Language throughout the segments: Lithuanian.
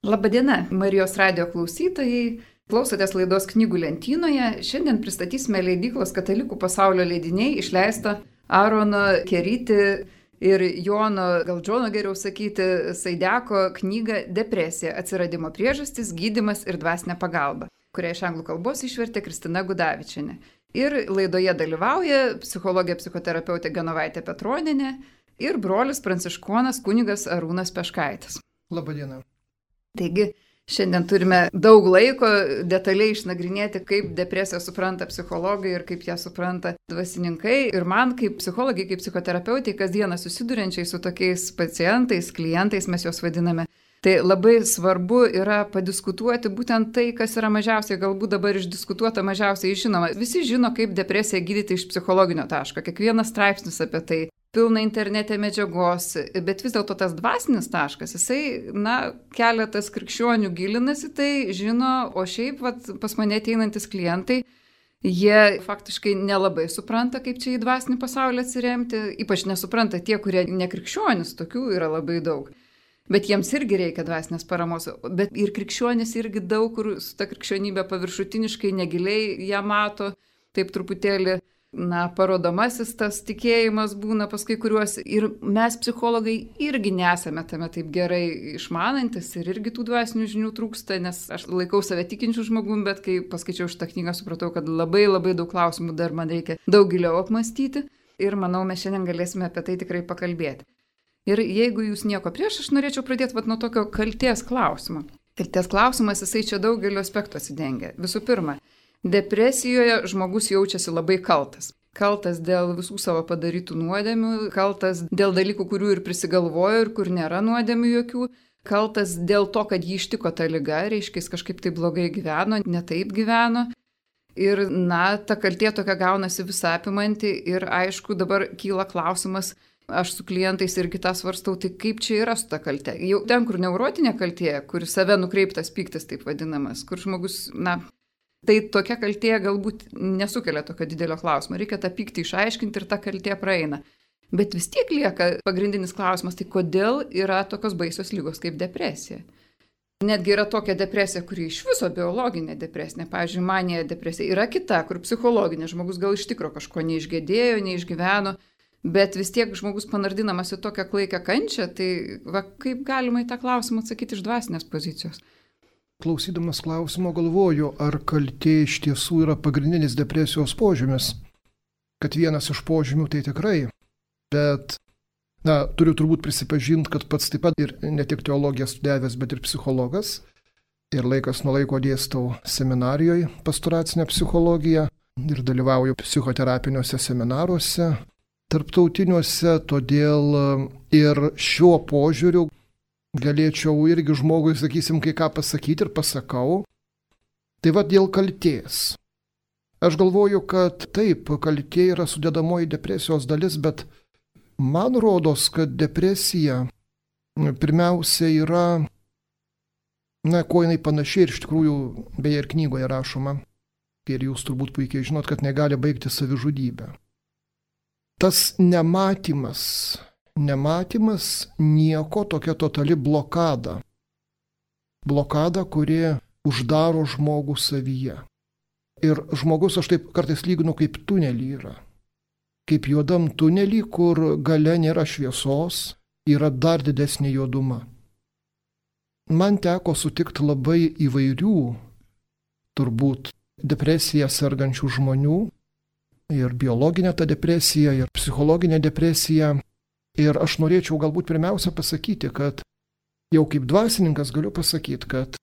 Labadiena, Marijos radijo klausytojai. Klausotės laidos Knygų lentynoje. Šiandien pristatysime leidyklos Katalikų pasaulio leidiniai išleistą Arono Keryti ir Jono, gal Džono geriau sakyti, Saideko knygą Depresija – atsiradimo priežastis, gydymas ir dvasinė pagalba, kurią iš anglų kalbos išvertė Kristina Gudavičienė. Ir laidoje dalyvauja psichologė psichoterapeutė Genovaitė Petronienė ir brolis pranciškonas kunigas Arūnas Peškaitis. Labadiena. Taigi, šiandien turime daug laiko detaliai išnagrinėti, kaip depresiją supranta psichologai ir kaip ją supranta dvasininkai. Ir man, kaip psichologai, kaip psichoterapeutai, kasdieną susiduriančiai su tokiais pacientais, klientais, mes juos vadiname, tai labai svarbu yra padiskutuoti būtent tai, kas yra mažiausiai, galbūt dabar išdiskutuota, mažiausiai žinoma. Visi žino, kaip depresiją gydyti iš psichologinio taško. Kiekvienas straipsnis apie tai. Pilna internete medžiagos, bet vis dėlto tas dvasinis taškas, jisai, keletas krikščionių gilinasi tai, žino, o šiaip pas mane ateinantis klientai, jie faktiškai nelabai supranta, kaip čia į dvasinį pasaulį atsiremti, ypač nesupranta tie, kurie nekrikščionys, tokių yra labai daug. Bet jiems irgi reikia dvasinės paramos, bet ir krikščionys irgi daug, kur su ta krikščionybė paviršutiniškai, negiliai ją mato, taip truputėlį, parodomasis tas tikėjimas būna pas kai kuriuos. Ir mes psichologai irgi nesame tame taip gerai išmanantis ir irgi tų dvasinių žinių trūksta, nes aš laikau save tikinčių žmogum, bet kai paskaičiau šitą knygą, supratau, kad labai daug klausimų dar man reikia daug giliau apmąstyti ir manau, mes šiandien galėsime apie tai tikrai pakalbėti. Ir jeigu jūs nieko prieš, aš norėčiau pradėti nuo tokio kaltės klausimo. Kaltės klausimas, jisai čia daugelio aspektų atsidengia. Visų pirma, depresijoje žmogus jaučiasi labai kaltas. Kaltas dėl visų savo padarytų nuodėmių, kaltas dėl dalykų, kurių ir prisigalvojo ir kur nėra nuodėmių jokių, kaltas dėl to, kad jį ištiko ta liga, reiškia, jis kažkaip tai blogai gyveno, ne taip gyveno. Ir, ta kaltė tokia gaunasi visapimanti ir aišku, dabar kyla klausimas, aš su klientais irgi tą svarstau, tai kaip čia yra su ta kaltė. Jau ten, kur neurotinė kaltė, kur save nukreiptas pyktis taip vadinamas, kur žmogus, tai tokia kaltė galbūt nesukelia tokio didelio klausimo. Reikia tą pyktį išaiškinti ir ta kaltė praeina. Bet vis tiek lieka pagrindinis klausimas, tai kodėl yra tokios baisios ligos kaip depresija? Netgi yra tokia depresija, kuri iš viso biologinė depresija. Pavyzdžiui, manija depresija. Yra kita, kur psichologinė. Žmogus gal iš tikro kažko neišgėdėjo, neišgyveno, bet vis tiek žmogus panardinamas į tokią klaikią kančią. Tai kaip galima į tą klausimą atsakyti iš dvasinės pozicijos? Klausydamas klausimo galvoju, ar kaltė iš tiesų yra pagrindinis depresijos požymis. Kad vienas iš požymių tai tikrai. Bet, turiu turbūt prisipažinti, kad pats taip pat ir ne tik teologiją studijavęs, bet ir psichologas. Ir laikas nuo laiko dėstau seminarijoje pastoracinę psichologiją ir dalyvauju psichoterapiniuose seminaruose, tarptautiniuose, todėl ir šiuo požiūriu galėčiau irgi žmogui, sakysim, kai ką pasakyti ir pasakau. Tai dėl kaltės. Aš galvoju, kad taip, kaltė yra sudedamoji depresijos dalis, bet man rodos, kad depresija pirmiausia yra, kuo jinai panašiai ir iš tikrųjų, beje ir knygoje rašoma, ir jūs turbūt puikiai žinot, kad negali baigti savižudybę. Tas nematymas nieko, tokia totali blokada. Blokada, kuri uždaro žmogų savyje. Ir žmogus, aš taip kartais lyginu, kaip tunelį yra. Kaip juodam tunelį, kur gale nėra šviesos, yra dar didesnė juoduma. Man teko sutikti labai įvairių, turbūt, depresiją sergančių žmonių, ir biologinė ta depresija, ir psichologinė depresija. Ir aš norėčiau galbūt pirmiausia pasakyti, kad jau kaip dvasininkas galiu pasakyti, kad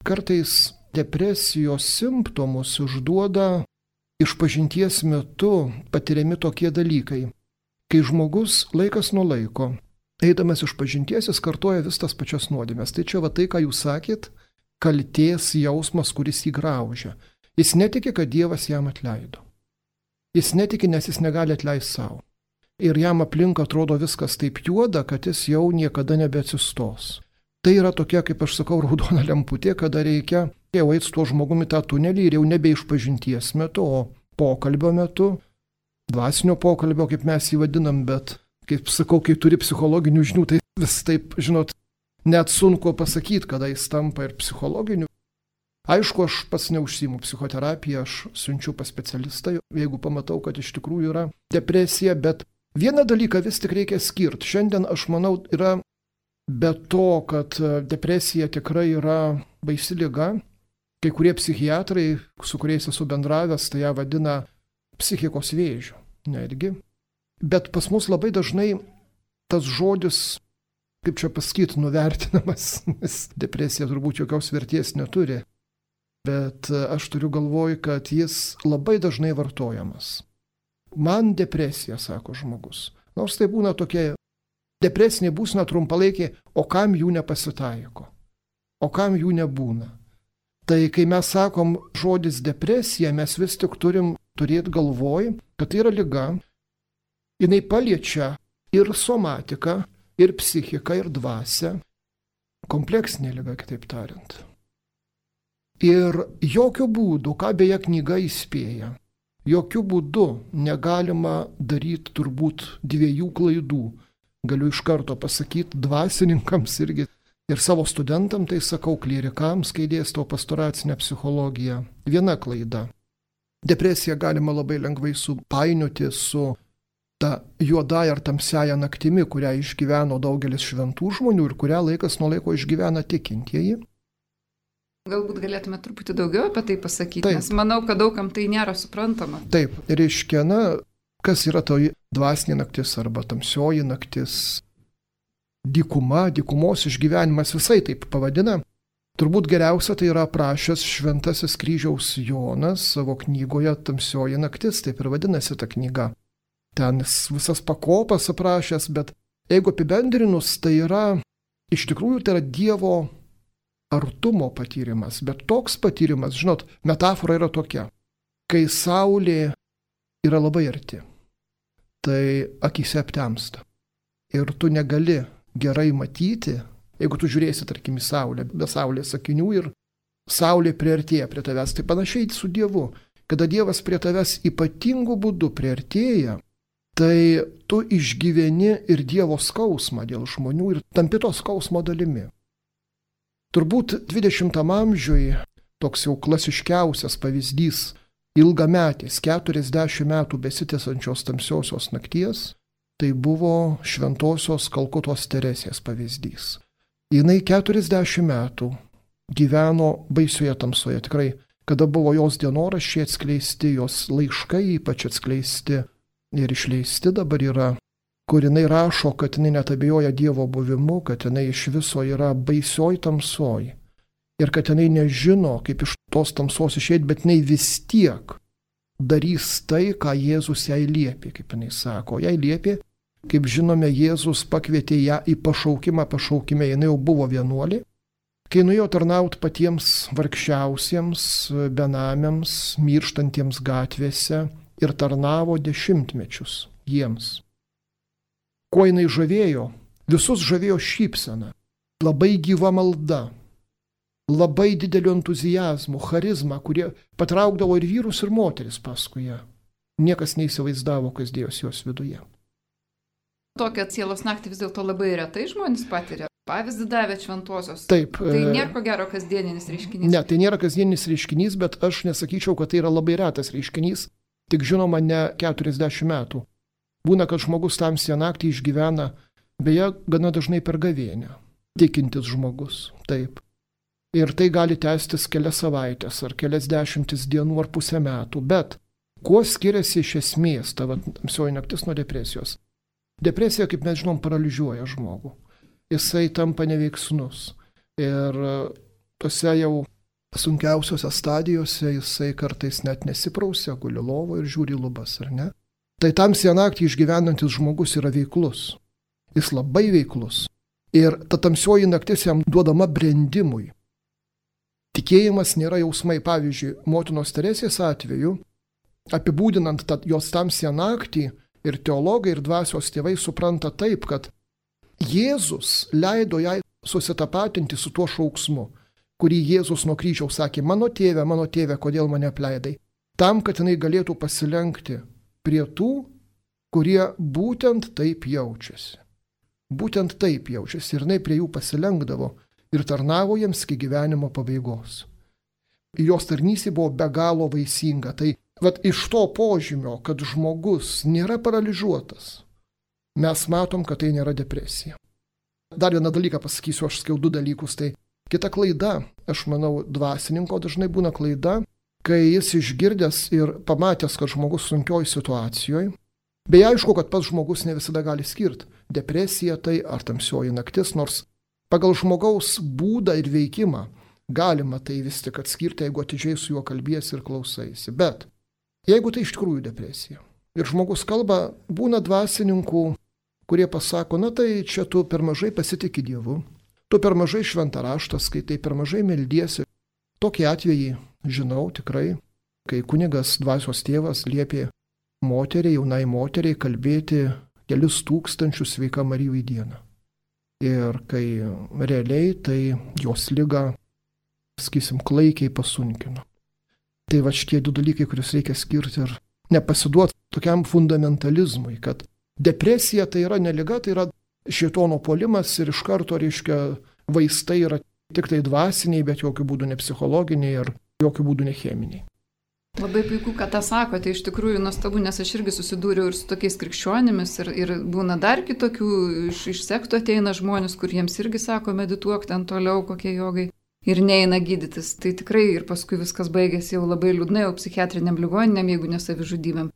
kartais depresijos simptomus išduoda išpažinties metu patiriami tokie dalykai. Kai žmogus laikas nuo laiko, eidamas išpažinties, jis kartoja vis tas pačias nuodėmes. Tai čia tai, ką jūs sakėt, kaltės jausmas, kuris jį graužia. Jis netiki, kad Dievas jam atleido. Jis netiki, nes jis negali atleisti savo. Ir jam aplink atrodo viskas taip juoda, kad jis jau niekada nebeatsistos. Tai yra tokia, kaip aš sakau, raudona lemputė, kada reikia jau eiti su tuo žmogumi tą tunelį ir jau nebe išpažinties metu, o pokalbio metu, dvasinio pokalbio, kaip mes jį vadinam, bet, kaip sakau, kai turi psichologinių žinių, tai vis taip, žinot, net sunku pasakyti, kada jis tampa ir psichologiniu. Aišku, aš pats neužsiimu psichoterapiją, aš siunčiu pas specialistą, jeigu pamatau, kad iš tikrųjų yra depresija, bet vieną dalyką vis tik reikia skirti. Šiandien, aš manau, yra be to, kad depresija tikrai yra baisi liga. Kai kurie psichiatrai, su kuriais esu bendravęs, tai ją vadina psichikos vėžiu. Netgi. Bet pas mus labai dažnai tas žodis, kaip čia pasakyti, nuvertinamas, nes depresija turbūt jokios vertės neturi. Bet aš turiu galvoj, kad jis labai dažnai vartojamas. Man depresija, sako žmogus. Nors tai būna tokia depresinė būsena trumpalaikė, o kam jų nepasitaiko? O kam jų nebūna? Tai kai mes sakom žodis depresija, mes vis tik turim turėti galvoj, kad tai yra liga. Jinai paliečia ir somatiką, ir psichiką, ir dvasią. Kompleksinė liga, kitaip tariant. Ir jokių būdų, ką beje knyga įspėja, jokių būdų negalima daryti turbūt dviejų klaidų. Galiu iš karto pasakyti dvasininkams irgi ir savo studentam, tai sakau klierikams, kai dėstau pastoracinę psichologiją. Viena klaida. Depresiją galima labai lengvai supainioti su ta juodąja ar tamsiaja naktimi, kurią išgyveno daugelis šventų žmonių ir kurią laikas nuo laiko išgyvena tikintieji. Galbūt galėtume truputį daugiau apie tai pasakyti, Taip. nes manau, kad daugam tai nėra suprantama. Taip, reiškia, kas yra toji dvasinė naktis arba tamsioji naktis, dykuma, dykumos išgyvenimas, visai taip pavadina. Turbūt geriausia tai yra aprašęs Šventasis Kryžiaus Jonas savo knygoje Tamsioji naktis, taip ir vadinasi ta knyga. Ten jis visas pakopas aprašęs, bet jeigu apibendrinus, tai yra, iš tikrųjų tai yra Dievo artumo patyrimas, bet toks patyrimas, žinot, metafora yra tokia, kai saulė yra labai arti, tai akyse aptemsta ir tu negali gerai matyti, jeigu tu žiūrėsi, tarkim, į saulę, be saulės akinių ir saulė priartėja prie tavęs, tai panašiai su Dievu, kada Dievas prie tavęs ypatingų būdų priartėja, tai tu išgyveni ir Dievo skausmą dėl žmonių ir tampi to skausmo dalimi. Turbūt 20 amžiui toks jau klasiškiausias pavyzdys ilgametės 40 metų besitęsančios tamsiosios nakties, tai buvo šventosios Kalkutos Teresės pavyzdys. Jinai 40 metų gyveno baisioje tamsoje, tikrai, kada buvo jos dienoraščiai atskleisti, jos laiškai ypač atskleisti ir išleisti dabar yra, kur jinai rašo, kad jinai net abejoja Dievo buvimu, kad jinai iš viso yra baisioj tamsoj ir kad jinai nežino, kaip iš tos tamsos išeiti, bet jinai vis tiek darys tai, ką Jėzus jai liepė, kaip jinai sako. Jai liepė, kaip žinome, Jėzus pakvietė ją į pašaukimą, jinai jau buvo vienuolė, kai nuėjo tarnauti patiems vargšiausiems, benamiams, mirštantiems gatvėse ir tarnavo 10 mečius jiems. Kuo jinai žavėjo? Visus žavėjo šypsena, labai gyva malda, labai dideliu entuzijazmu, charizma, kurie patraukdavo ir vyrus, ir moteris paskui ją. Niekas neįsivaizdavo, kas dėjosi jos viduje. Tokią sielos naktį vis dėlto labai retai žmonės patiria. Pavyzdį davė šventosios. Taip. Tai nėra ko gero kasdieninis reiškinys. Ne, tai nėra kasdieninis reiškinys, bet aš nesakyčiau, kad tai yra labai retas reiškinys, tik žinoma ne 40 metų. Būna, kad žmogus tamsią naktį išgyvena, beje, gana dažnai per gavėnią. Tikintis žmogus, taip. Ir tai gali tęstis kelias savaitės, ar kelias dešimtis dienų, ar pusę metų. Bet kuo skiriasi iš esmės ta tamsioji naktis nuo depresijos? Depresija, kaip mes žinom, paralyžiuoja žmogų. Jisai tampa neveiksnus. Ir tose jau sunkiausiose stadijose jisai kartais net nesiprausia, guli lovo ir žiūri lubas, ar ne? Tai tamsią naktį išgyvenantis žmogus yra veiklus. Jis labai veiklus. Ir ta tamsioji naktis jam duodama brendimui. Tikėjimas nėra jausmai. Pavyzdžiui, motinos Teresės atveju, apibūdinant jos tamsią naktį, ir teologai, ir dvasios tėvai supranta taip, kad Jėzus leido jai susitapatinti su tuo šauksmu, kurį Jėzus nuo kryžiaus sakė, mano tėve, kodėl mane apleidai? Tam, kad jinai galėtų pasilenkti prie tų, kurie būtent taip jaučiasi. būtent taip jaučiasi ir jinai prie jų pasilenkdavo ir tarnavo jiems iki gyvenimo pabaigos. Jos tarnystė buvo be galo vaisinga. Tai iš to požymio, kad žmogus nėra paralyžiuotas, mes matom, kad tai nėra depresija. Dar vieną dalyką pasakysiu, aš sakiau 2 dalykus. Tai kita klaida, aš manau, dvasininko dažnai būna klaida, kai jis išgirdęs ir pamatęs, kad žmogus sunkioj situacijoje, bei aišku, kad pats žmogus ne visada gali skirti depresija tai ar tamsioji naktis, nors pagal žmogaus būdą ir veikimą galima tai vis tik atskirti, jeigu atidžiai su juo kalbiesi ir klausaisi. Bet jeigu tai iš tikrųjų depresija ir žmogus kalba, būna dvasininkų, kurie pasako, na tai čia tu per mažai pasitiki Dievu, tu per mažai šventą raštą skaitai, per mažai meldiesi. Tokį atvejį žinau tikrai, kai kunigas dvasios tėvas liepė moteriai, jaunai moteriai kalbėti kelius tūkstančius Sveika Marija į dieną. Ir kai realiai tai jos ligą, sakysim, klaikiai pasunkino. Tai va šitie 2 dalykai, kuriuos reikia skirti ir nepasiduoti tokiam fundamentalizmui, kad depresija tai yra ne liga, tai yra šėtono puolimas ir iš karto, reiškia, vaistai yra tik tai dvasiniai, bet jokių būdų ne psichologiniai ir jokių būdų ne cheminiai. Labai puiku, kad tą sakote, iš tikrųjų nuostabu, nes aš irgi susidūriau ir su tokiais krikščionimis ir būna dar kitokių, iš sektų ateina žmonės, kur jiems irgi sako, medituok ten toliau, kokie jogai. Ir neina gydytis. Tai tikrai ir paskui viskas baigėsi jau labai liūdnai, jau psichiatriniam ligoniniam, jeigu ne savižudybėm.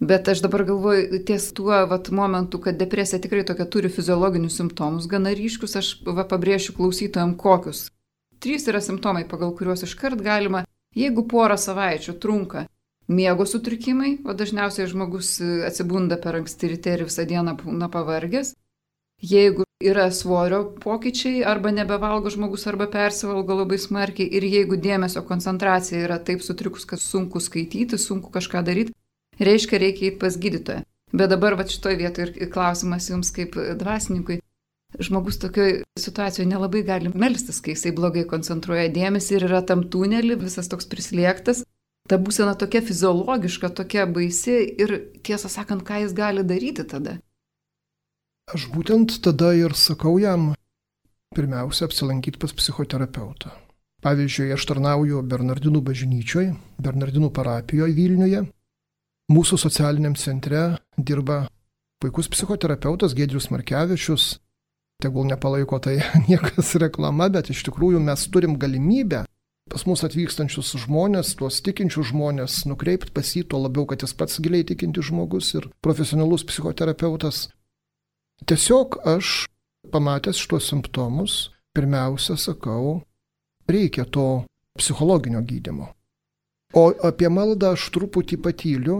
Bet aš dabar galvoju, ties tuo momentu, kad depresija tikrai tokia turi fiziologinius simptomus gana ryškius, aš pabrėšiu klausytojams kokius. 3 yra simptomai, pagal kuriuos iškart galima, jeigu porą savaičių trunka miego sutrikimai, o dažniausiai žmogus atsibunda per anksti ryte ir visą dieną būna pavargęs. Jeigu yra svorio pokyčiai, arba nebevalgo žmogus, arba persivalgo labai smarkiai, ir jeigu dėmesio koncentracija yra taip sutrikus, kad sunku skaityti, sunku kažką daryti, reiškia reikia eiti pas gydytoją. Bet dabar šitoj vietoje ir klausimas jums kaip dvasininkui. Žmogus tokioje situacijoje nelabai gali melstis, kai jisai blogai koncentruoja dėmesį ir yra tam tunelį, visas toks prislėgtas. Ta būsena tokia fiziologiška, tokia baisi ir tiesą sakant, ką jis gali daryti tada? Aš būtent tada ir sakau jam, pirmiausia, apsilankyti pas psichoterapeutą. Pavyzdžiui, aš tarnauju Bernardinų bažnyčioje, Bernardinų parapijoje Vilniuje. Mūsų socialiniam centre dirba puikus psichoterapeutas Giedrius Markevičius. Tegul nepalaiko tai niekas reklama, bet iš tikrųjų mes turim galimybę pas mus atvykstančius žmonės, tuos tikinčius žmonės, nukreipti pas jį, tuo labiau, kad jis pats giliai tikintis žmogus ir profesionalus psichoterapeutas. Tiesiog aš, pamatęs šitos simptomus, pirmiausia sakau, reikia to psichologinio gydymo. O apie maldą aš truputį patyliu,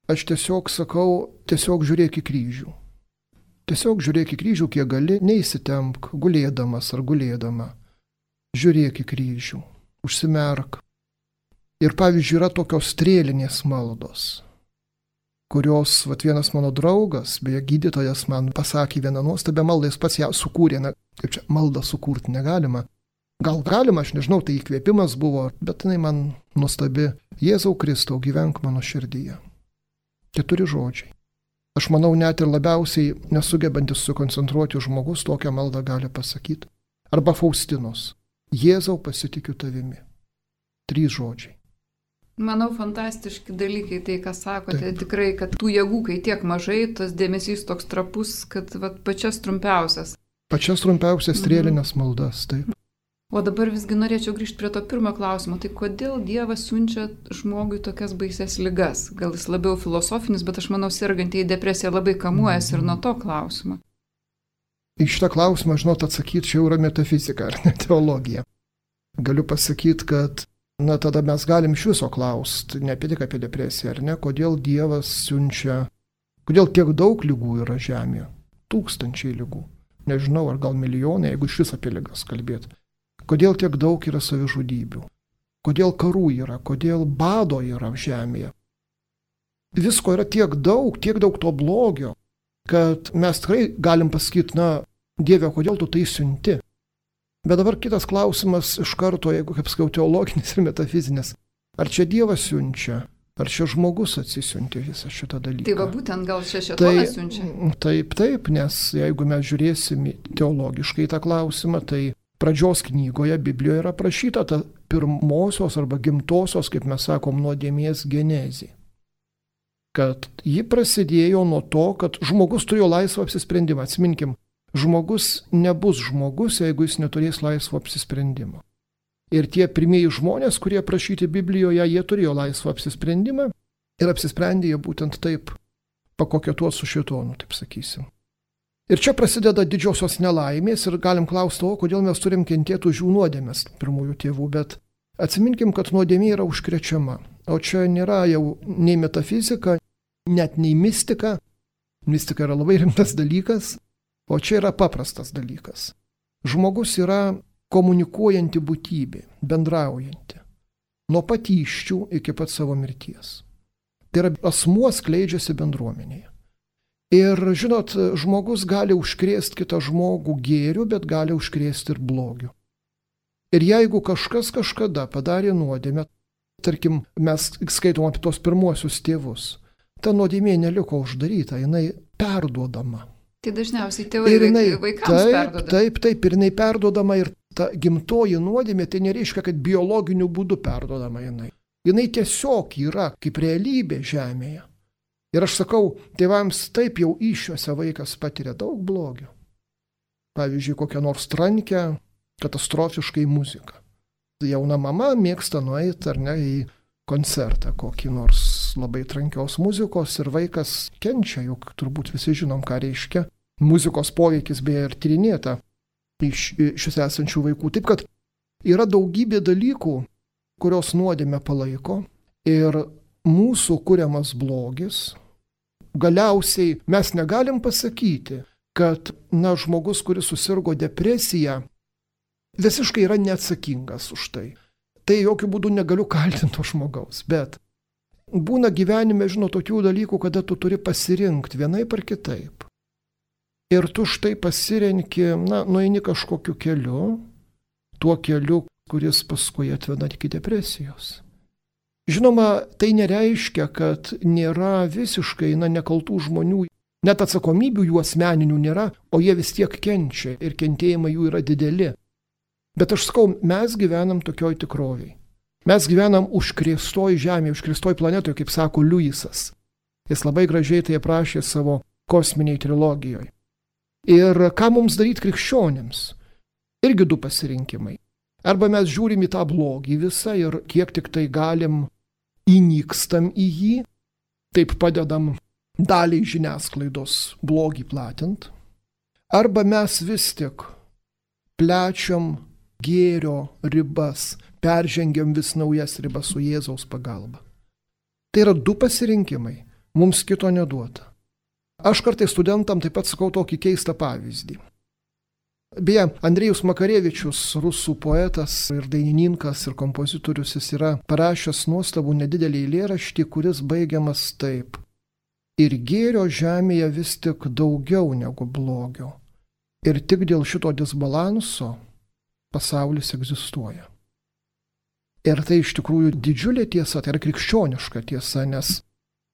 aš tiesiog sakau, tiesiog žiūrėk į kryžių. Tiesiog žiūrėk į kryžių, kiek gali, neįsitempk, gulėdamas ar gulėdama. Žiūrėk į kryžių, užsimerk. Ir pavyzdžiui, yra tokios strėlinės maldos, kurios, vienas mano draugas, beje, gydytojas man pasakė vieną nuostabią maldą, jis pats ją sukūrė, kaip čia maldą sukurti negalima. Gal galima, aš nežinau, tai įkvėpimas buvo, bet jinai man nuostabi. Jėzau Kristau, gyvenk mano širdyje. 4 žodžiai. Aš manau, net ir labiausiai nesugebantis sukoncentruoti žmogus tokią maldą gali pasakyti. Arba Faustinos. Jėzau, pasitikiu tavimi. 3 žodžiai. Manau, fantastiški dalykai tai, ką sakote. Taip. Tikrai, kad tų jėgų, kai tiek mažai, tas dėmesys toks trapus, kad pačias trumpiausias. Pačias trumpiausias strėlinės maldas, taip. O dabar visgi norėčiau grįžti prie to pirmo klausimo. Tai kodėl Dievas siunčia žmogui tokias baises ligas? Gal jis labiau filosofinis, bet aš manau, sergantieji depresija labai kamuojasi ir nuo to klausimo. Į šitą klausimą, atsakyti, čia jau yra metafizika, ar ne teologija. Galiu pasakyti, kad tada mes galim iš viso klausti, ne tik apie depresiją, ar ne, kodėl Dievas siunčia, kodėl tiek daug ligų yra žemėje, 1000 ligų, nežinau, ar gal milijonai, jeigu iš vis apie ligas kalbėti. Kodėl tiek daug yra savižudybių, kodėl karų yra, kodėl bado yra žemėje. Visko yra tiek daug to blogio, kad mes tikrai galim pasakyti, Dieve, kodėl tu tai siunti? Bet dabar kitas klausimas iš karto, jeigu, kaip sakau, teologinis ir metafizinis. Ar čia Dievas siunčia, Ar čia žmogus atsisiuntė visą šitą dalyką? Tai va būtent gal čia šėtonas siunčia. Taip, nes jeigu mes žiūrėsim teologiškai tą klausimą, tai pradžios knygoje Biblijoje yra aprašyta ta pirmosios arba gimtosios, kaip mes sakom, nuodėmės genezė. Kad ji prasidėjo nuo to, kad žmogus turėjo laisvą apsisprendimą. Atsiminkim, žmogus nebus žmogus, jeigu jis neturės laisvo apsisprendimo. Ir tie pirmieji žmonės, kurie aprašyti Biblijoje, jie turėjo laisvą apsisprendimą ir apsisprendė jie būtent taip pakoketuoti su šėtonu, taip sakysim. Ir čia prasideda didžiosios nelaimės ir galim klausti, kodėl mes turim kentėti už jų nuodėmes, pirmųjų tėvų, bet atsiminkim, kad nuodėmė yra užkrečiama. O čia nėra jau nei metafizika, net nei mistika. Mistika yra labai rimtas dalykas, o čia yra paprastas dalykas. Žmogus yra komunikuojanti būtybė, bendraujanti. Nuo pat įsčių iki pat savo mirties. Tai yra asmuo skleidžiasi bendruomenėje. Ir, žinot, žmogus gali užkrėsti kitą žmogų gėriu, bet gali užkrėsti ir blogiu. Ir jeigu kažkas kažkada padarė nuodėmę, tarkim, mes skaitom apie tos pirmuosius tėvus, ta nuodėmė neliko uždaryta, jinai perduodama. Tai dažniausiai tėvai vaikams perduoda. Taip, ir jinai perduodama ir ta gimtoji nuodėmė, tai nereiškia, kad biologiniu būdu perduodama jinai. Jinai tiesiog yra kaip realybė žemėje. Ir aš sakau, tėvams taip jau įsčiose vaikas patiria daug blogio. Pavyzdžiui, kokią nors trankę, katastrofiškai muziką. Jauna mama mėgsta nueiti ar ne į koncertą, kokį nors labai trankios muzikos ir vaikas kenčia, juk turbūt visi žinom, ką reiškia. Muzikos poveikis beje ir tyrinėta iš šios esančių vaikų. Taip kad yra daugybė dalykų, kurios nuodėmę palaiko ir mūsų kuriamas blogis. Galiausiai mes negalim pasakyti, kad žmogus, kuris susirgo depresija, visiškai yra neatsakingas už tai. Tai jokių būdų negaliu kaltinti to žmogaus, bet būna gyvenime, tokių dalykų, kada tu turi pasirinkti vienaip ar kitaip. Ir tu štai pasirenki, nueini kažkokiu keliu, tuo keliu, kuris paskui atveda iki depresijos. Žinoma, tai nereiškia, kad nėra visiškai nekaltų žmonių, net atsakomybių jų asmeninių nėra, o jie vis tiek kenčia ir kentėjimai jų yra dideli. Bet aš sakau, mes gyvenam tokioj tikroviai. Mes gyvenam užkrėstoj žemėje, užkrėstoj planetoje, kaip sako Liujisas. Jis labai gražiai tai aprašė savo kosminiai trilogijoje. Ir ką mums daryti krikščionims? Irgi du pasirinkimai. Arba mes žiūrim į tą blogį visą ir kiek tik tai galim įnykstam į jį, taip padedam daliai žiniasklaidos blogį platint. Arba mes vis tik plečiam gėrio ribas, peržengiam vis naujas ribas su Jėzaus pagalba. Tai yra du pasirinkimai, mums kito neduota. Aš kartais studentam taip pat sakau tokį keistą pavyzdį. Beje, Andrejus Makarevičius, rusų poetas ir dainininkas ir kompozitorius, jis yra parašęs nuostabų nedidelį eilėraštį, kuris baigiamas taip. Ir gėrio žemėje vis tik daugiau negu blogio. Ir tik dėl šito disbalanso pasaulis egzistuoja. Ir tai iš tikrųjų didžiulė tiesa, tai yra krikščioniška tiesa, nes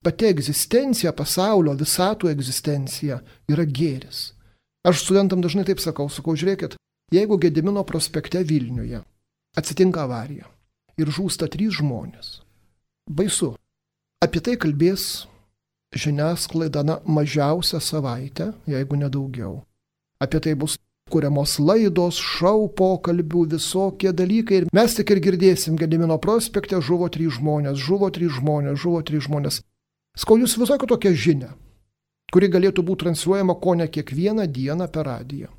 pati egzistencija pasaulio, visatų egzistencija yra gėris. Aš studentam dažnai taip sakau, žiūrėkit, jeigu Gedimino prospekte Vilniuje atsitinka avarija ir žūsta 3 žmonės, baisu. Apie tai kalbės žiniasklaida mažiausią savaitę, jeigu nedaugiau. Apie tai bus kuriamos laidos, šou pokalbių, visokie dalykai. Ir mes tik ir girdėsim, Gedimino prospekte žuvo 3 žmonės, žuvo 3 žmonės, žuvo 3 žmonės. Sakau, jūs visokio tokią žinią, kuri galėtų būti transliuojama kone kiekvieną dieną per radiją.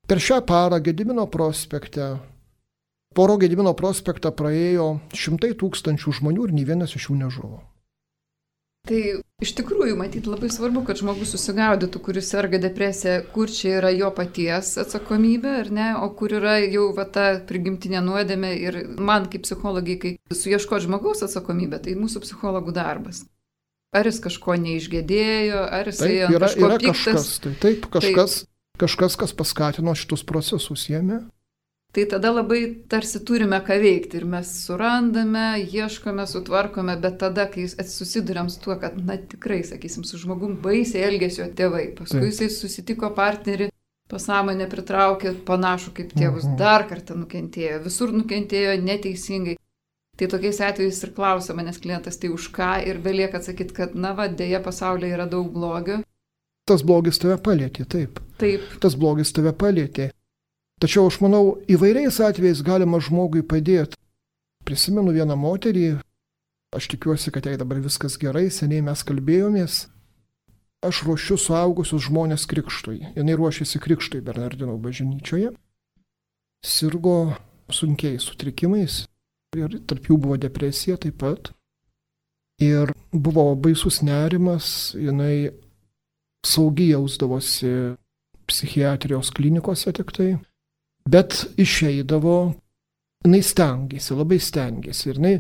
Per šią parą Gedimino prospekte, poro Gedimino prospektą praėjo 100 000 žmonių ir nei vienas iš jų nežuvo. Tai iš tikrųjų, matyt, labai svarbu, kad žmogus susigaudytų, kuris serga depresija, kur čia yra jo paties atsakomybė, ar ne, o kur yra jau ta prigimtinė nuodėmė. Ir man kaip psichologai, kai suieškoti žmogaus atsakomybę, tai mūsų psichologų darbas. Ar jis kažko neišgėdėjo, ar jis ant kažko piktas. Kažkas, kas paskatino šitus procesus jame. tai tada labai tarsi turime ką veikti ir mes surandame, ieškome, sutvarkome, bet tada, kai susiduriam su tuo, kad, na tikrai, sakysim, su žmogum baisiai elgesio tėvai, paskui jisai susitiko partnerį, pasąmonę pritraukė panašų kaip tėvus, dar kartą nukentėjo, visur nukentėjo neteisingai. Tai tokiais atvejais ir klausia manęs klientas, tai už ką, ir belieka atsakyti, kad, na va, dėja pasaulyje yra daug blogio. Tas blogis tave palėtė, taip. Taip. Tas blogis tave palėtė. Tačiau aš manau, įvairiais atvejais galima žmogui padėti. Prisimenu vieną moterį, aš tikiuosi, kad jai dabar viskas gerai, seniai mes kalbėjomės. Aš ruošiu suaugusius žmonės krikštui. Jinai ruošėsi krikštui Bernardinų bažnyčioje. Sirgo sunkiais sutrikimais ir tarp jų buvo depresija taip pat. Ir buvo baisus nerimas, jinai saugiai jausdavosi psichiatrijos klinikose tik tai. Bet išeidavo, jinai stengėsi, labai stengėsi. Ir jinai,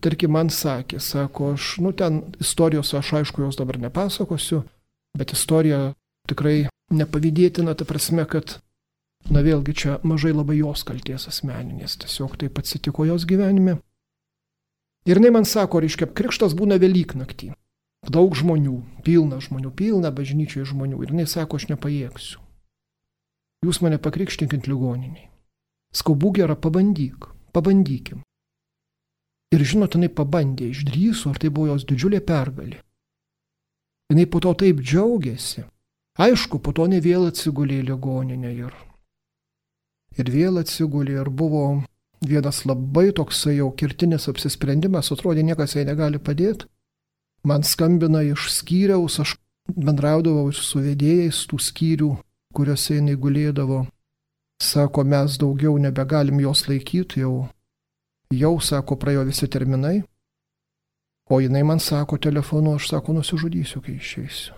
tarkim, man sakė, sako, aš, ten istorijos, aš aišku, jos dabar nepasakosiu, bet istorija tikrai nepavydėtina, ta prasme, kad, na vėlgi čia mažai labai jos kalties asmeninės, tiesiog taip atsitiko jos gyvenime. Ir jinai man sako, reiškia, krikštas būna Velyknaktį. Daug žmonių, pilna bažnyčioje žmonių. Ir jinai sako, aš nepajėgsiu. Jūs mane pakrikštinkit ligoniniai. Skaubu gera, pabandykim. Ir žinot, jinai pabandė, išdrįso, ar tai buvo jos didžiulė pergalė. Jinai po to taip džiaugiasi. Aišku, po to ne vėl atsigulė į ligoninę ir vėl atsigulė ir buvo vienas labai toksai jau kirtinis apsisprendimas, atrodė, niekas jai negali padėti. Man skambina iš skyriaus, aš bendraudavau su vedėjais tų skyrių, kuriuose jinai gulėdavo. Sako, mes daugiau nebegalim jos laikyti, jau sako, praėjo visi terminai. O jinai man sako telefonu, aš sako, nusižudysiu, kai išeisiu.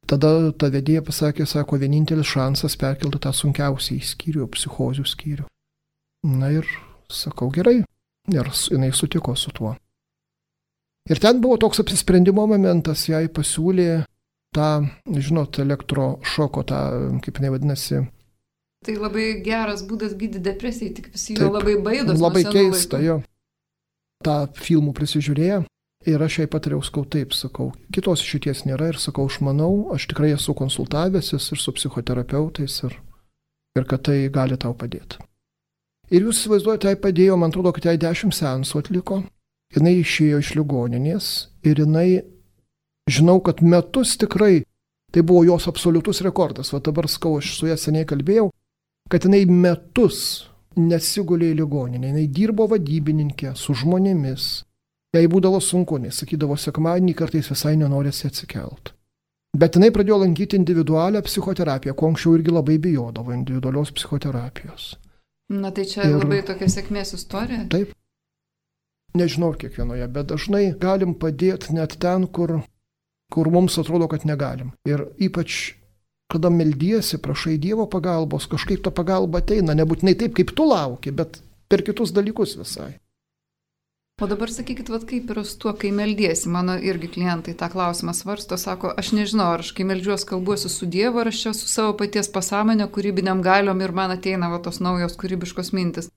Tada ta vedėja pasakė, sako, vienintelis šansas perkelti tą sunkiausiai skyrių, psichozių skyrių. Na ir sakau, gerai. Ir jinai sutiko su tuo. Ir ten buvo toks apsisprendimo momentas, jai pasiūlė tą, žinot, elektrošoko, tą, kaip jinai vadinasi. Tai labai geras būdas gydyti depresiją, tik visi jo labai baidos. Labai keista, jo. Ta filmų prisižiūrėjo ir aš jai patariau, sakau, taip, sakau, kitos išeities nėra ir sakau, aš manau, aš tikrai esu konsultavęsis ir su psichoterapeutais ir kad tai gali tau padėti. Ir jūs įsivaizduojate, jai padėjo, man atrodo, kad jai 10 seansų atliko, jinai išėjo iš ligoninės ir jinai, žinau, kad metus tikrai, tai buvo jos absoliutus rekordas, va dabar sakau, aš su ja seniai kalbėjau, kad jinai metus nesigulė į ligoninę, jinai dirbo vadybininkė su žmonėmis. Jai būdavo sunku, nes sakydavo, sekmadienį kartais visai nenorėsi atsikelt. Bet jinai pradėjo lankyti individualią psichoterapiją, ko anksčiau irgi labai bijodavo individualios psichoterapijos. Na tai čia labai tokia sėkmės istorija. Taip. Nežinau kiekvienoje, bet dažnai galim padėti net ten, kur mums atrodo, kad negalim. Ir ypač kada meldiesi, prašai Dievo pagalbos, kažkaip ta pagalba ateina, nebūtinai taip, kaip tu lauki, bet per kitus dalykus visai. O dabar sakykit, vat kaip yra su tuo, kai meldiesi, mano irgi klientai tą klausimą svarsto, sako, aš nežinau, ar aš kai meldžiuos kalbuosi su Dievu, ar aš čia su savo paties pasąmonė, kūrybiniam galiom ir man ateina va tos naujos kūrybiškos mintis.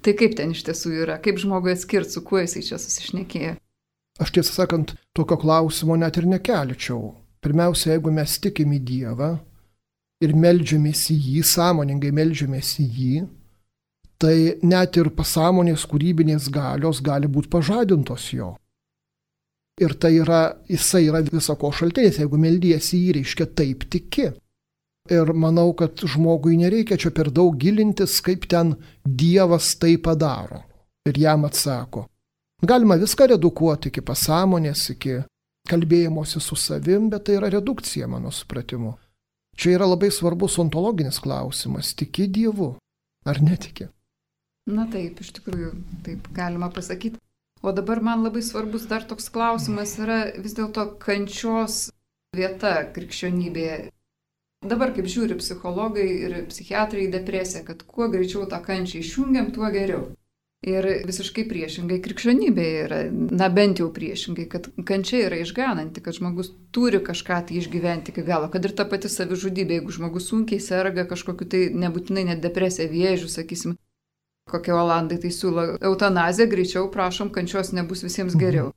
Tai kaip ten iš tiesų yra, kaip žmogui atskirti, su kuo jisai čia susišnekėjo? Aš tiesą sakant, tokio klausimo net ir nekelčiau. Pirmiausia, jeigu mes tikim į Dievą ir meldžiamės į jį, sąmoningai meldžiamės į jį, tai net ir pasąmonės kūrybinės galios gali būti pažadintos jo. Ir tai yra, jisai yra visako šaltinis, jeigu meldiesi jį, reiškia taip tiki. Ir manau, kad žmogui nereikia čia per daug gilintis, kaip ten Dievas tai padaro. Ir jam atsako. Galima viską redukuoti iki pasąmonės, iki kalbėjimosi su savim, bet tai yra redukcija mano supratimu. Čia yra labai svarbus ontologinis klausimas. Tiki Dievu ar netiki? Na taip, iš tikrųjų, taip galima pasakyti. O dabar man labai svarbus dar toks klausimas yra vis dėlto kančios vieta krikščionybėje. Dabar, kaip žiūri psichologai ir psichiatrai į depresiją, kad kuo greičiau tą kančią išjungiam, tuo geriau. Ir visiškai priešingai krikščionybėje yra, na bent jau priešingai, kad kančia yra išgananti, kad žmogus turi kažką tai išgyventi iki galo, kad ir ta pati savižudybė, jeigu žmogus sunkiai serga kažkokiu tai nebūtinai net depresija, vėžiu, sakysim, kokie olandai tai siūlo eutanaziją, greičiau prašom, kančios nebus visiems geriau.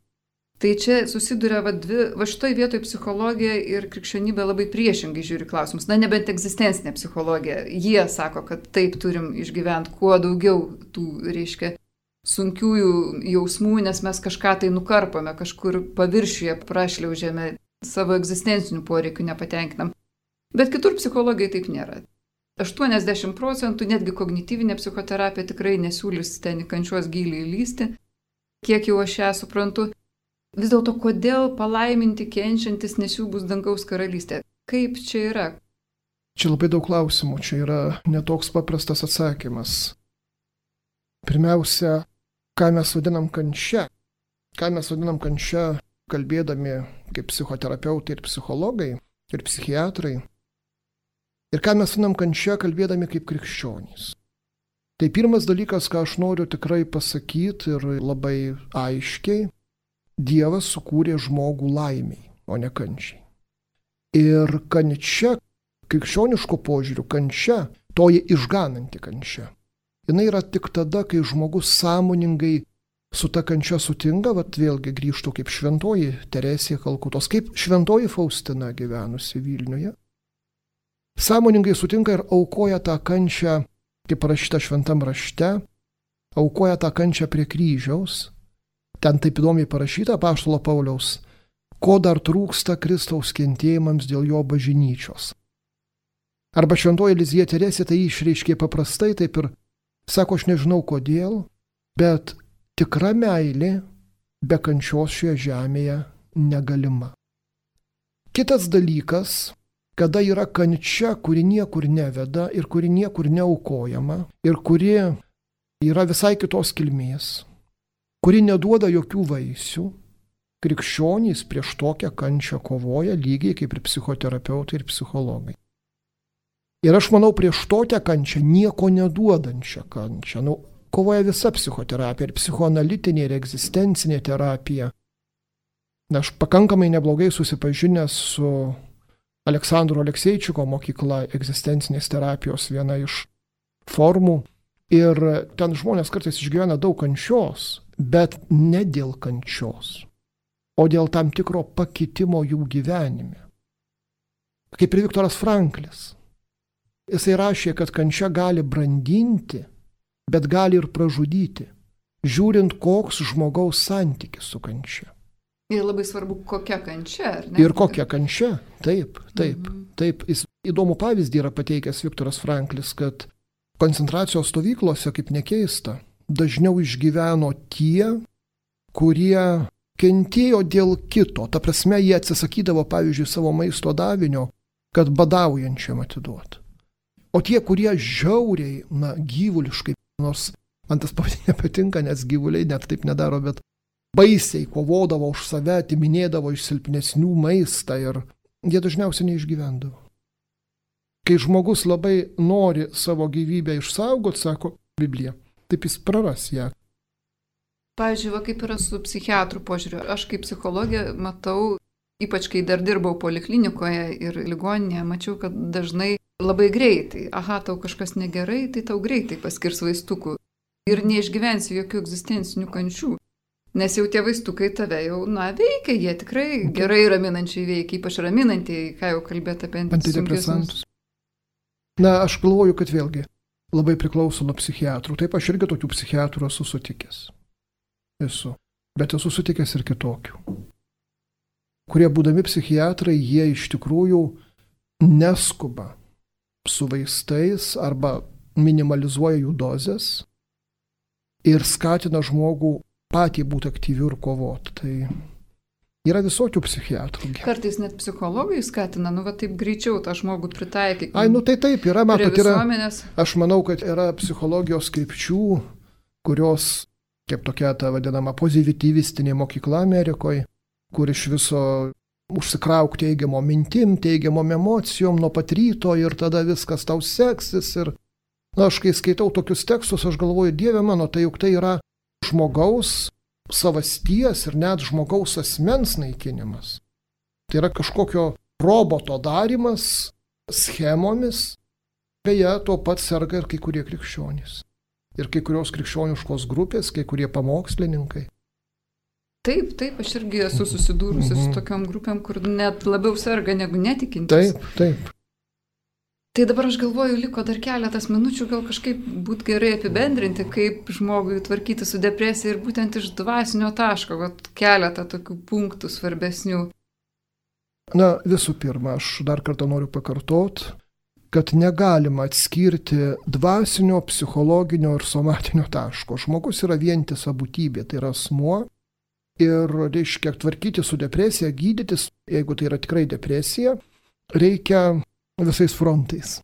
Tai čia susiduria va šitoj vietoj psichologija ir krikščionybė labai priešingai žiūri klausimus. Na, nebent egzistencinė psichologija. Jie sako, kad taip turim išgyventi kuo daugiau tų, reiškia, sunkiųjų jausmų, nes mes kažką tai nukarpame, kažkur paviršiuje prašliaužėme, savo egzistencinių poreikių nepatenkinam. Bet kitur psichologijai taip nėra. 80%, netgi kognityvinė psichoterapija tikrai nesiūlys ten į kančios gilį įlysti, kiek jau aš ją suprantu. Vis dėlto, kodėl palaiminti kenčiantis, nes jų bus dangaus karalystė? Kaip čia yra? Čia labai daug klausimų, čia yra netoks paprastas atsakymas. Pirmiausia, ką mes vadinam kančia? Ką mes vadinam kančia, kalbėdami kaip psichoterapeutai ir psichologai ir psichiatrai? Ir ką mes vadinam kančia, kalbėdami kaip krikščionys? Tai pirmas dalykas, ką aš noriu tikrai pasakyti ir labai aiškiai, Dievas sukūrė žmogų laimiai, o ne kančiai. Ir kančia, krikščioniško požiūriu, kančia, toji išgananti kančia. Jis yra tik tada, kai žmogus sąmoningai su ta kančia sutinka, vėlgi grįžtų kaip šventoji Teresė Kalkutos, kaip šventoji Faustina gyvenusi Vilniuje. Sąmoningai sutinka ir aukoja tą kančią, kaip parašyta šventam rašte, aukoja tą kančią prie kryžiaus. Ten taip įdomiai parašyta apaštalo Pauliaus, ko dar trūksta Kristaus kentėjimams dėl jo bažnyčios. Arba šventoji Elizija Teresė tai išreiškė paprastai, taip ir sako, aš nežinau kodėl, bet tikra meilė be kančios šioje žemėje negalima. Kitas dalykas, kada yra kančia, kuri niekur neveda ir kuri niekur neaukojama ir kuri yra visai kitos kilmės, kuri neduoda jokių vaisių, krikščionys prieš tokią kančią kovoja lygiai kaip ir psichoterapeutai ir psichologai. Ir aš manau, prieš tokią kančią, nieko neduodančią kančią, kovoja visa psichoterapija, ir psichoanalitinė, ir egzistencinė terapija. Aš pakankamai neblogai susipažinęs su Aleksandro Alekseičiko mokykla, egzistencinės terapijos viena iš formų. Ir ten žmonės kartais išgyvena daug kančios, bet ne dėl kančios, o dėl tam tikro pakitimo jų gyvenime. Kaip ir Viktoras Franklis. Jisai rašė, kad kančia gali brandinti, bet gali ir pražudyti, žiūrint, koks žmogaus santykis su kančia. Ir labai svarbu, kokia kančia, ar ne? Ir kokia kančia, taip. Jis įdomų pavyzdį yra pateikęs Viktoras Franklis, kad koncentracijos stovyklose, kaip nekeista, dažniau išgyveno tie, kurie kentėjo dėl kito. Ta prasme, jie atsisakydavo, pavyzdžiui, savo maisto davinio, kad badaujančiam atiduot. O tie, kurie žiauriai, gyvuliškai, nors man tas pavadinimas nepatinka, nes gyvuliai net taip nedaro, bet baisiai kovodavo už save, atiminėdavo iš silpnesnių maistą ir jie dažniausiai neišgyvendavo. Kai žmogus labai nori savo gyvybę išsaugoti, sako Biblija, taip jis praras ją. Pavyzdžiui, kaip yra su psichiatrų požiūriu. Aš kaip psichologė matau, ypač kai dar dirbau poliklinikoje ir ligoninėje, mačiau, kad dažnai labai greitai, tau kažkas negerai, tai tau greitai paskirs vaistukų. Ir neišgyvensi jokių egzistencinių kančių. Nes jau tie vaistukai tave jau, veikia, jie tikrai gerai raminančiai veikia, ypač raminančiai, ką jau kalbėti apie antidepresantus. Aš galvoju, kad vėlgi labai priklauso nuo psichiatrų. Taip, aš irgi tokių psichiatrų esu sutikęs. Bet esu sutikęs ir kitokių. Kurie būdami psichiatrai, jie iš tikrųjų neskuba su vaistais arba minimalizuoja jų dozes ir skatina žmogų patį būti aktyviu ir kovoti. Tai yra visokių psichiatrų. Kartais net psichologai skatina, taip greičiau tą žmogų pritaikyti. Tai taip, yra, aš manau, kad yra psichologijos krypčių, kurios, kaip tokia ta vadinama pozityvistinė mokykla Amerikoje, kur iš viso užsikrauk teigiamom mintim, teigiamom emocijom nuo pat ryto ir tada viskas tau seksis. Ir Na, aš kai skaitau tokius tekstus, aš galvoju, Dieve mano, tai juk tai yra žmogaus savasties ir net žmogaus asmens naikinimas. Tai yra kažkokio roboto darimas schemomis. Beje, to pat serga ir kai kurie krikščionys. Ir kai kurios krikščioniškos grupės, kai kurie pamokslininkai. Taip, aš irgi esu susidūrusi su tokiom grupėm, kur net labiau serga negu netikintis. Taip. Tai dabar aš galvoju, liko dar keletas minučių, gal kažkaip būtų gerai apibendrinti, kaip žmogui tvarkyti su depresija ir būtent iš dvasinio taško, keletą tokių punktų svarbesnių. Na, visų pirma, aš dar kartą noriu pakartoti, kad negalima atskirti dvasinio, psichologinio ir somatinio taško. Žmogus yra vientisa būtybė, tai yra asmuo. Ir reiškia tvarkyti su depresija, gydytis, jeigu tai yra tikrai depresija, reikia visais frontais.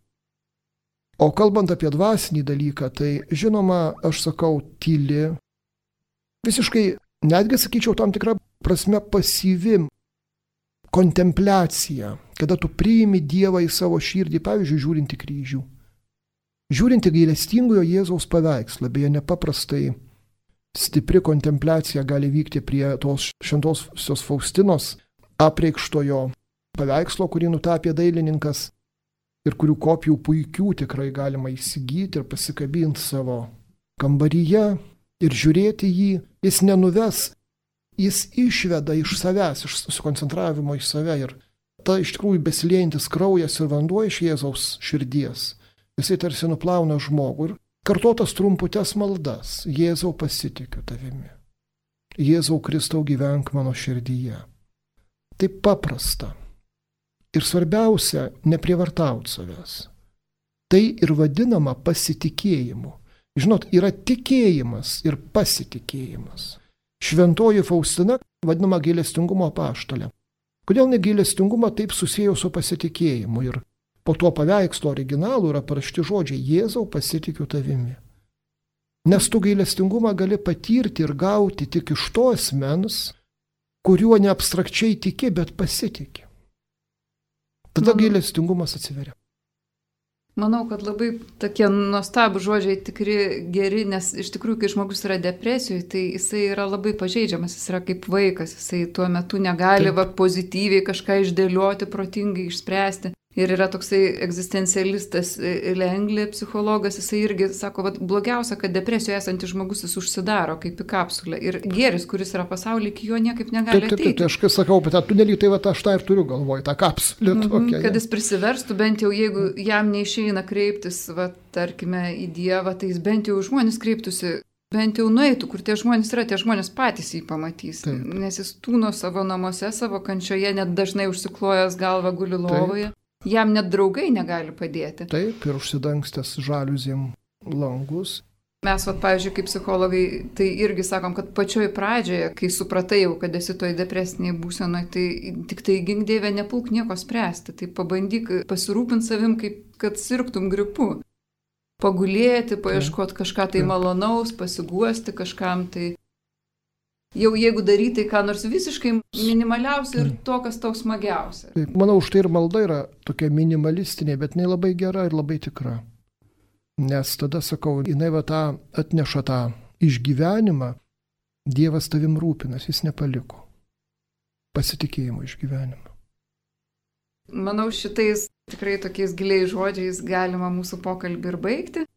O kalbant apie dvasinį dalyką, tai žinoma, aš sakau, tyli, visiškai, netgi sakyčiau, tam tikrą prasme pasyvi kontempliacija, kada tu priimi Dievą į savo širdį, pavyzdžiui, žiūrint į kryžių. Žiūrint į gailestingojo Jėzaus paveikslą, beje, nepaprastai stipri kontempliacija gali vykti prie tos šventosios Faustinos apreikštojo paveikslo, kurį nutapė dailininkas ir kurių kopijų puikių tikrai galima įsigyti ir pasikabinti savo kambaryje ir žiūrėti jį. Jis nenuves, jis išveda iš savęs, iš susikoncentravimo į save ir ta iš tikrųjų besiliejantis kraujas ir vanduo iš Jėzaus širdies. Jisai tarsi nuplauna žmogų ir kartotas trumputes maldas. Jėzau, pasitikiu tavimi. Jėzau Kristau, gyvenk mano širdyje. Taip paprasta. Ir svarbiausia, neprievartauti savęs. Tai ir vadinama pasitikėjimu. Žinot, yra tikėjimas ir pasitikėjimas. Šventoji Faustina vadinama gailestingumo apaštale. Kodėl negailestingumą taip susiejo su pasitikėjimu? Ir po tuo paveikslo originalu yra parašti žodžiai Jėzau, pasitikiu tavimi. Nes tu gailestingumą gali patirti ir gauti tik iš to asmens, kuriuo ne abstrakčiai tiki, bet pasitiki. Tada gailestingumas atsiveria. Manau, kad labai tokie nuostabų žodžiai tikri geri, nes iš tikrųjų, kai žmogus yra depresijoje, tai jisai yra labai pažeidžiamas, jis yra kaip vaikas, jisai tuo metu negali pozityviai kažką išdėlioti, protingai išspręsti. Ir yra toksai egzistencialistas Lengli, psichologas, jisai irgi sako, blogiausia, kad depresijoje esantis žmogus jis užsidaro kaip į kapsulę. Ir gėris, kuris yra pasaulyje, iki jo niekaip negali ateiti. Taip, aš kai sakau, bet tą tunelį, tai aš tą ir turiu galvoj, tą kapsulę tokią. Kad jis prisiverstų, bent jau jeigu jam neišeina kreiptis, tarkime, į Dievą, tai jis bent jau žmonės kreiptųsi, bent jau nueitų, kur tie žmonės yra, tie žmonės patys jį pamatys. Taip. Nes jis tūno savo namuose, savo kančioje, net dažnai užsiklojęs galvą guli lovoje. Taip. Jam net draugai negali padėti. Taip, ir užsidangstęs žaliuzėm langus. Mes, pavyzdžiui, kaip psichologai, tai irgi sakom, kad pačioj pradžioje, kai supratai jau, kad esi toj depresiniai būsenoje, tai tik tai gink Dieve, nepulk nieko spręsti. Tai pabandyk pasirūpinti savim, kaip kad sirgtum gripu. Pagulėti, paieškoti kažką tai malonaus, pasiguosti kažkam tai. Jau jeigu daryti ką nors visiškai minimaliausia ir to, kas tau smagiausia. Taip, manau, už tai ir malda yra tokia minimalistinė, bet jinai labai gera ir labai tikra. Nes tada, sakau, jinai atneša tą išgyvenimą, Dievas tavim rūpinas, jis nepaliko. Pasitikėjimo išgyvenimą. Manau, šitais tikrai tokiais giliais žodžiais galima mūsų pokalbį ir baigti.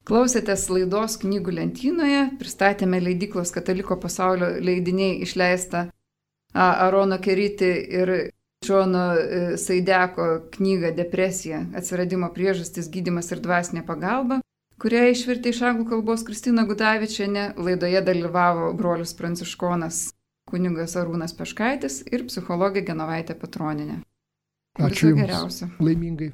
Klausėtės laidos Knygų lentynoje, pristatėme leidyklos Kataliko pasaulio leidiniai išleistą Arono Keriti ir Džono Saideko knygą Depresija – atsiradimo priežastis, gydymas ir dvasinė pagalba, kurią išvertė iš anglų kalbos Kristina Gudavičienė. Laidoje dalyvavo brolius pranciškonas kunigas Arūnas Peškaitis ir psichologė Genovaitė Petronienė. Ačiū Viso geriausio. Laimingai.